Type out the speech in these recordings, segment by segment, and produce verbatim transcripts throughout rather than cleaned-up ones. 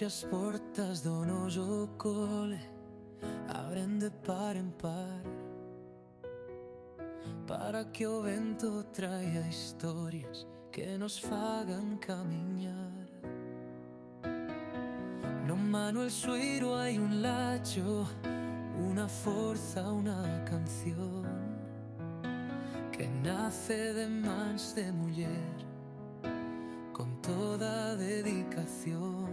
As portas do noso cole abren de par en par para que o vento traia historias que nos fagan camiñar. No Manuel Sueiro hai un lacho, unha forza, unha canción que nace de mans de muller con toda a dedicación.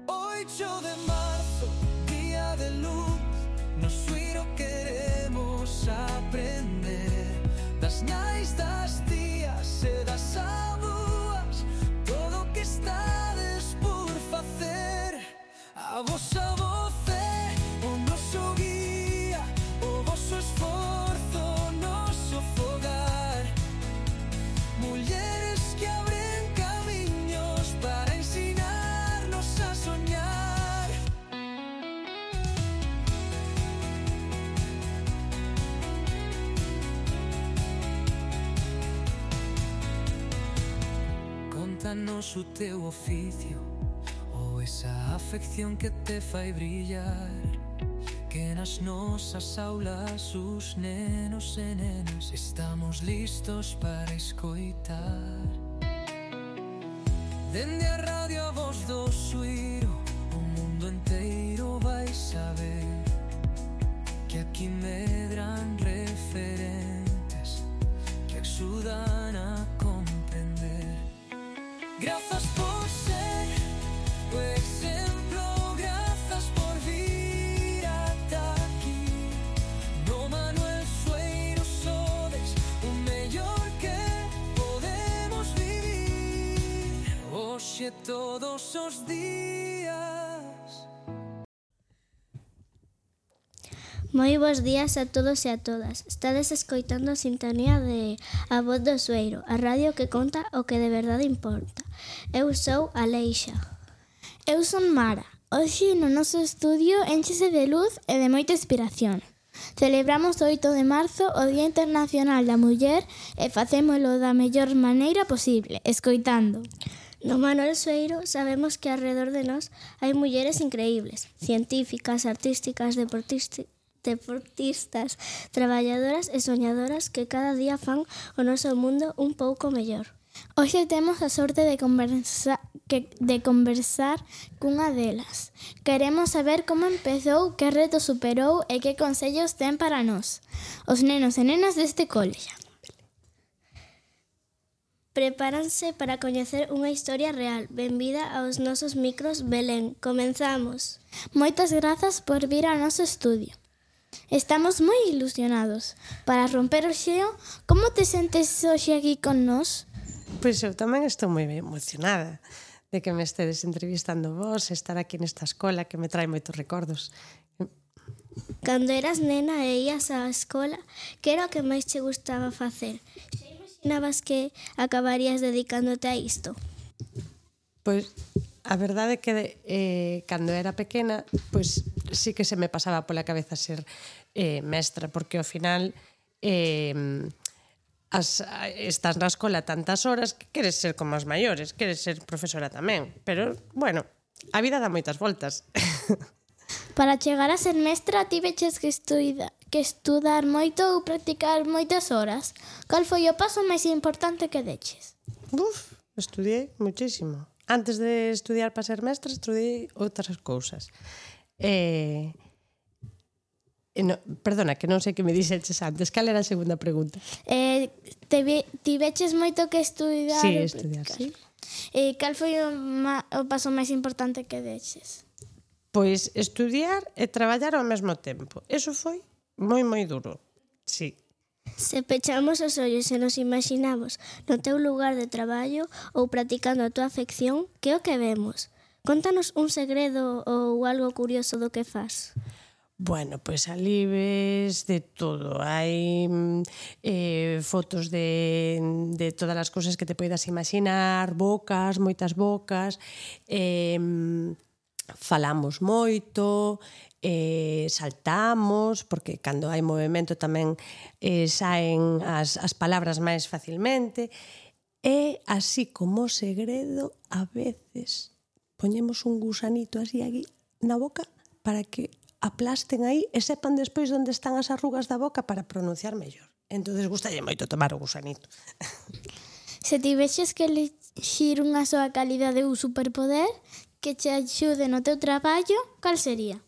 oito de marzo, día de luz, no Sueiro queremos aprender das nais, das tías e das avoas, todo o que estades por facer. A vosa voz é o noso guía, o voso esforzo, o noso fogar. Mulleres que abren camiños para ensinarnos a soñar. Contanos o teu oficio ou esa afección que te fai brillar, que nas nosas aulas os nenos e nenas estamos listos para escoitar. Dende a radio a voz do Sueiro, o mundo enteiro vai saber que aquí medran referentes que axudan a comprender. Grazas por ser o exemplo, grazas por vir ata aquí. No Manuel Sueiro sodes o mellor que podemos vivir hoxe todos os días. Moi bons días a todos e a todas. Estades escoitando a sintonía de A Voz do Sueiro, a radio que conta o que de verdade importa. Eu sou Aleixa. Eu son Mara. Hoxe no noso estudio énchese de luz e de moita inspiración. Celebramos o oito de marzo o Día Internacional da Muller e facémolo da mellor maneira posible, escoitando. No Manuel Sueiro sabemos que alrededor de nós hai mulleres increíbles, científicas, artísticas, deportistas, deportistas, traballadoras e soñadoras que cada día fan o noso mundo un pouco mellor. Hoxe temos a sorte de conversa, que, de conversar cunha delas. Queremos saber como empezou, que reto superou e que consellos ten para nós, os nenos e nenas deste cole. Prepáranse para coñecer unha historia real. Benvida aos nosos micros, Belén. Comenzamos. Moitas grazas por vir ao noso estudio. Estamos moi ilusionados. Para romper o xeo, como te sentes hoxe aquí con nós? Pois eu tamén estou moi emocionada de que me estedes entrevistando vos, estar aquí nesta escola que me trae moitos recordos. Cando eras nena e ías á escola, que era o que máis che gustaba facer? Xa imaginabas que acabarías dedicándote a isto? Pois a verdade é que eh, cando era pequena, pois sí que se me pasaba pola cabeza ser eh, mestra, porque ao final eh, As, estás na escola tantas horas que queres ser como as maiores, queres ser profesora tamén, pero, bueno, a vida dá moitas voltas. Para chegar a ser mestra tiveches que, estuida, que estudar moito ou practicar moitas horas. Cal foi o paso máis importante que deches? Uf, estudiei muchísimo. Antes de estudiar para ser mestra, estudiei outras cousas. Eh... No, perdona, que non sei que me dixeches antes. Cal era a segunda pregunta? Eh, te vi, tiveches moito que estudar? Sí, estudiar, sí. Eh, cal foi o, ma, o paso máis importante que deches? Pois estudiar e traballar ao mesmo tempo. Eso foi moi, moi duro, sí. Se pechamos os ollos e nos imaginamos no teu lugar de traballo ou practicando a tua afección, que é o que vemos? Contanos un segredo ou algo curioso do que faz. Bueno, pois ali ves de todo. Hai eh, fotos de, de todas as cousas que te poidas imaginar, bocas, moitas bocas, eh, falamos moito, eh, saltamos, porque cando hai movimento tamén eh, saen as, as palabras máis facilmente, e así como segredo, a veces poñemos un gusanito así aquí na boca para que aplasten aí e sepan despois onde están as arrugas da boca para pronunciar mellor. Entonces gustalle moito tomar o gusanito. Se tivexes que elixir unha soa calidade ou superpoder que te axude no teu traballo, cal sería?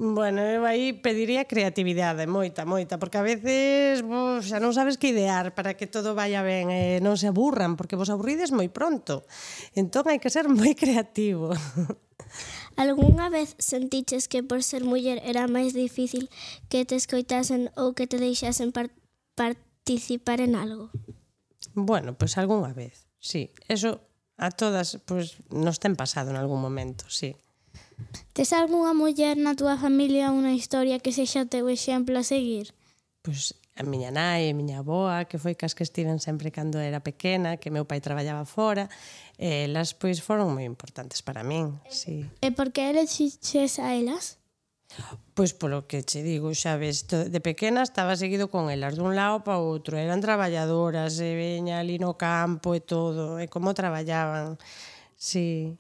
Bueno, eu aí pediría creatividade, moita, moita, porque a veces vos xa non sabes que idear para que todo vaya ben e non se aburran, porque vos aburrides moi pronto. Entón hai que ser moi creativo. Algúnha vez sentiches que por ser muller era máis difícil que te escoitasen ou que te deixasen par- participar en algo? Bueno, pois pues algunha vez, sí. Eso a todas pues, nos ten pasado en algún momento, sí. Tes algunha muller na túa familia unha historia que sexa o teu exemplo a seguir? Pois a miña nai e a miña avoa, que foi cas que estiven sempre cando era pequena, que meu pai traballaba fora, elas pois foron moi importantes para min, sí. E por que elixiches a elas? Pois polo que che digo, xa ves, de pequena estaba seguido con elas dun lado para outro, eran traballadoras, e veña ali no campo e todo, e como traballaban, sí.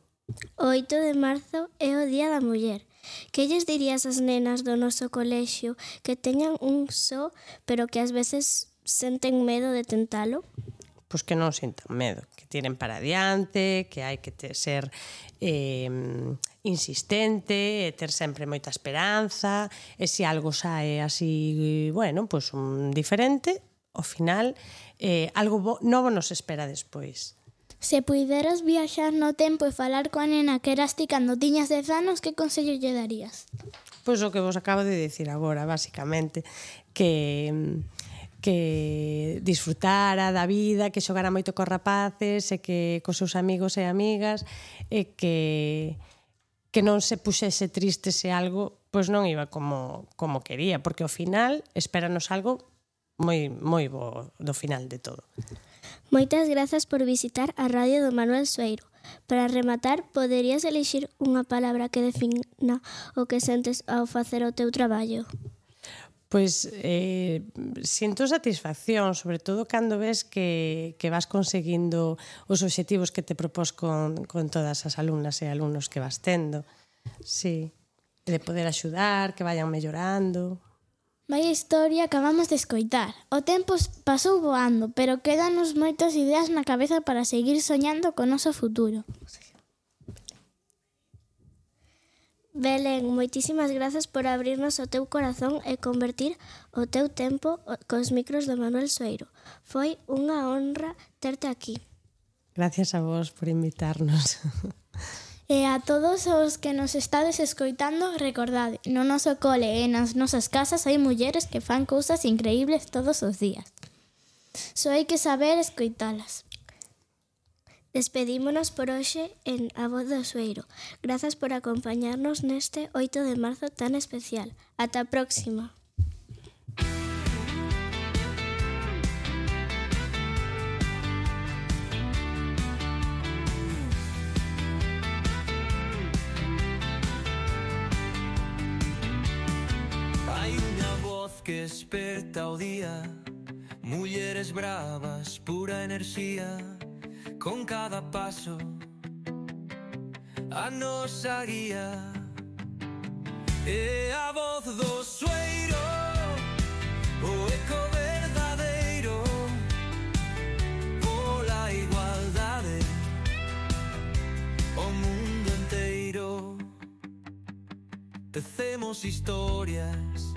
O oito de marzo é o Día da Muller. Que lles dirías ás nenas do noso colexio que teñan un só, pero que ás veces senten medo de tentalo? Pois que non sintan medo, que tiren para adiante, que hai que ter, ser eh, insistente, e ter sempre moita esperanza, e se algo sae así, bueno, pois un diferente, ao final, eh, algo bo, novo nos espera despois. Se puideras viaxar no tempo e falar coa nena que eras ti cando tiñas dez anos, que consello lle darías? Pois o que vos acabo de dicir agora, basicamente, que que disfrutara da vida, que xogara moito cos rapaces e que cos seus amigos e amigas e que que non se puxese triste se algo pois non iba como como quería, porque ao final espéranos algo moi moi bo do final de todo. Moitas grazas por visitar a radio do Manuel Sueiro. Para rematar, poderías elixir unha palabra que defina o que sentes ao facer o teu traballo? Pois eh, sinto satisfacción, sobre todo cando ves que, que vas conseguindo os obxectivos que te propós con, con todas as alumnas e alumnos que vas tendo. Sí, de poder axudar, que vayan mellorando. Vaya historia acabamos de escoitar. O tempo pasou voando, pero quédanos moitas ideas na cabeza para seguir soñando co noso futuro. Belén, moitísimas grazas por abrirnos o teu corazón e convertir o teu tempo cos micros do Manuel Sueiro. Foi unha honra terte aquí. Gracias a vos por invitarnos. E a todos os que nos estades escoitando, recordade, no noso cole e nas nosas casas hai mulleres que fan cousas increíbles todos os días. Só hai que saber escoitalas. Despedímonos por hoxe en A Voz do Sueiro. Grazas por acompañarnos neste oito de marzo tan especial. Ata a próxima. Hai unha voz que esperta o día, mulleres bravas, pura enerxía. Con cada paso a nosa guía é a voz do Sueiro, o eco verdadeiro pola igualdade, o mundo enteiro. Tecemos historias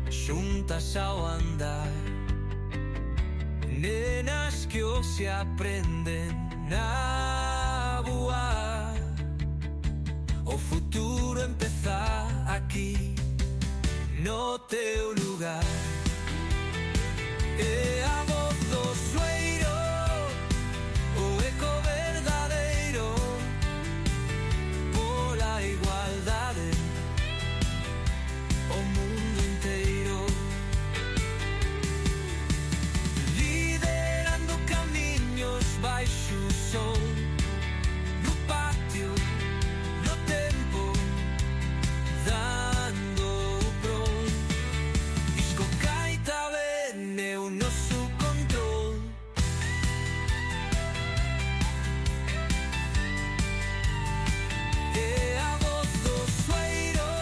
xuntas ao andar, nenas que hoxe aprenden a voar. O futuro empeza aquí, no teu lugar.